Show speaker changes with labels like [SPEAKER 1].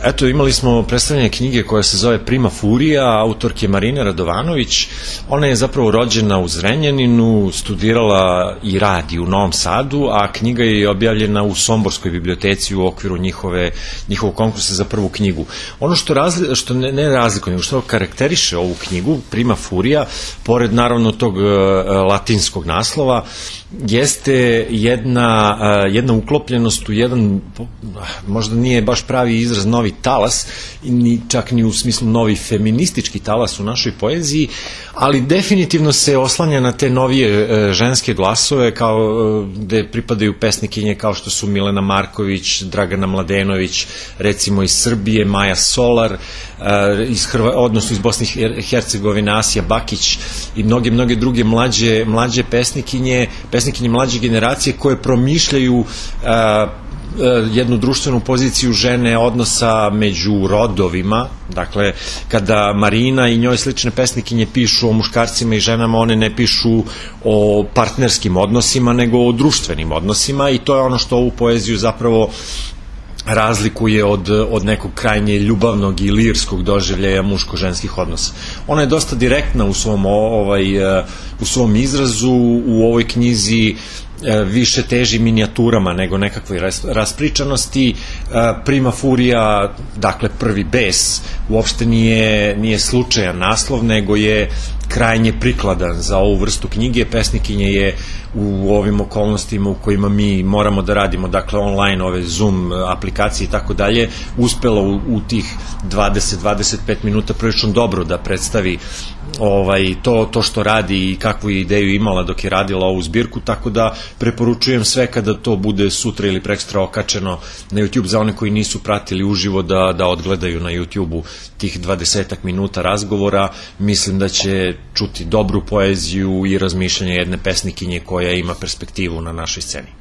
[SPEAKER 1] Eto, imali smo predstavljanje knjige koja se zove Prima Furija, autorke Marine Radovanović. Ona je zapravo rođena u Zrenjaninu, studirala i radi u Novom Sadu, a knjiga je objavljena u Somborskoj biblioteci u okviru njihovog konkursa za prvu knjigu. Ono što ne razlikuje, nego što karakteriše ovu knjigu, Prima Furija, pored naravno tog latinskog naslova, jeste jedna uklopljenost u jedan, možda nije baš pravi izraz, novi talas, čak ni u smislu novi feministički talas u našoj poeziji, ali definitivno se oslanja na te novije ženske glasove, gde pripadaju pesnikinje kao što su Milena Marković, Dragana Mladenović, recimo iz Srbije, Maja Solar, odnosno iz Bosne i Hercegovine Asija Bakić i mnoge druge mlađe pesnikinje mlađe generacije koje promišljaju jednu društvenu poziciju žene, odnosa među rodovima. Dakle, kada Marina i njoj slične pesnikinje pišu o muškarcima i ženama, one ne pišu o partnerskim odnosima, nego o društvenim odnosima, i to je ono što ovu poeziju zapravo razlikuje od nekog krajnje ljubavnog i lirskog doživljaja muško-ženskih odnosa. Ona je dosta direktna u svom izrazu. U ovoj knjizi više teži minijaturama nego nekakvoj raspričanosti. Prima Furija, dakle prvi bes, uopšte nije slučajan naslov, nego je krajnje prikladan za ovu vrstu knjige. Pesnikinje je u ovim okolnostima u kojima mi moramo da radimo, dakle online, ove Zoom aplikacije i tako dalje, uspela u tih 20-25 minuta prilično dobro da predstavi to što radi i kakvu ideju imala dok je radila ovu zbirku, tako da preporučujem sve kada to bude sutra ili prekstra okačeno na YouTube, za one koji nisu pratili uživo da odgledaju na YouTube-u tih 20 minuta razgovora. Mislim da će čuti dobru poeziju i razmišljanje jedne pesnikinje koja ima perspektivu na našoj sceni.